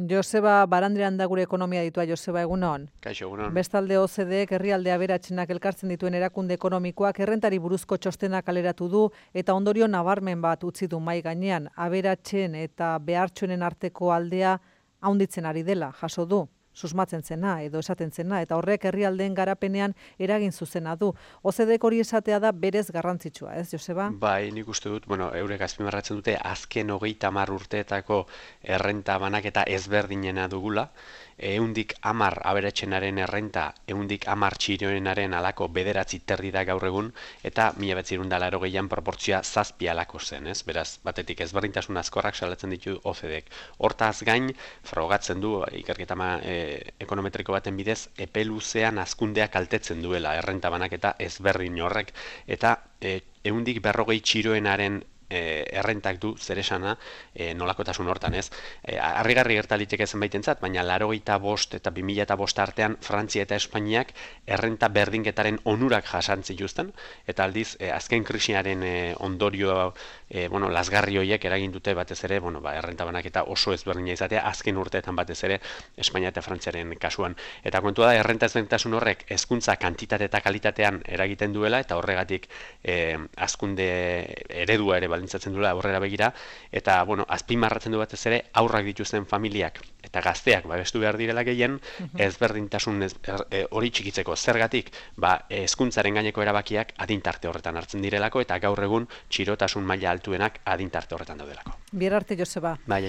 Joseba Barandrian da gure ekonomia ditua. Joseba, egunon. Kaixo, egunon. Bestalde OCDEek herrialde aberatsenak elkartzen dituen erakunde ekonomikoak errentari buruzko txostena kaleratu du eta ondorio nabarmen bat utzi du mahai gainean. Aberatsen eta behartsuenen arteko aldea handitzen ari dela, jaso du. Susmatzen zena edo esaten zena, eta horrek herrialdeen garapenean eragin zuzena du. OCDEek hori esatea da berez garrantzitsua, ez, Joseba? Bai, nik uste dut, eurek azpimarratzen dute azken 30 urteetako errenta banaketa ezberdinena dugula, 110 aberatsenaren errenta, 110 txiroenaren alako 9 terdi da gaur egun, eta 1980an proportzioa 7 alako zen, ez? Beraz, batetik ezberdintasun azkorrak salatzen ditu OCDEek. Hortaz gain, frogatzen du, ikerketa ekonometriko baten bidez, epe luzean hazkundea kaltetzen duela errenta banaketa ezberdin horrek, eta 140 txiroenaren errentak du zer esana nolakotasun hortan, ez? Harrigarri gerta liteke zenbaitentzat, baina 85 eta 2005 artean Frantzia eta Espainiak errenta berdinketaren onurak jasan zituzten, eta aldiz azken krisiaren ondorio lasgarri horiek eragin dute batez ere, errenta banaketa oso ezberdina izatea azken urteetan batez ere Espainia eta Frantziaren kasuan. Eta kontua da errenta ezberdintasun horrek hezkuntza kantitate eta kalitatean eragiten duela, eta horregatik hazkunde eredua ere baldintzatzen duela aurrera begira, eta azpimarratzen du batez ere aurrak dituzten familiak eta gazteak babestu behar direla gehien, ezberdintasun hori txikitzeko zergatik, hezkuntzaren gaineko erabakiak adintarte horretan hartzen direlako, eta gaur egun txirotasun maila altuenak adintarte horretan daudelako. Bihar arte, Joseba. Bai,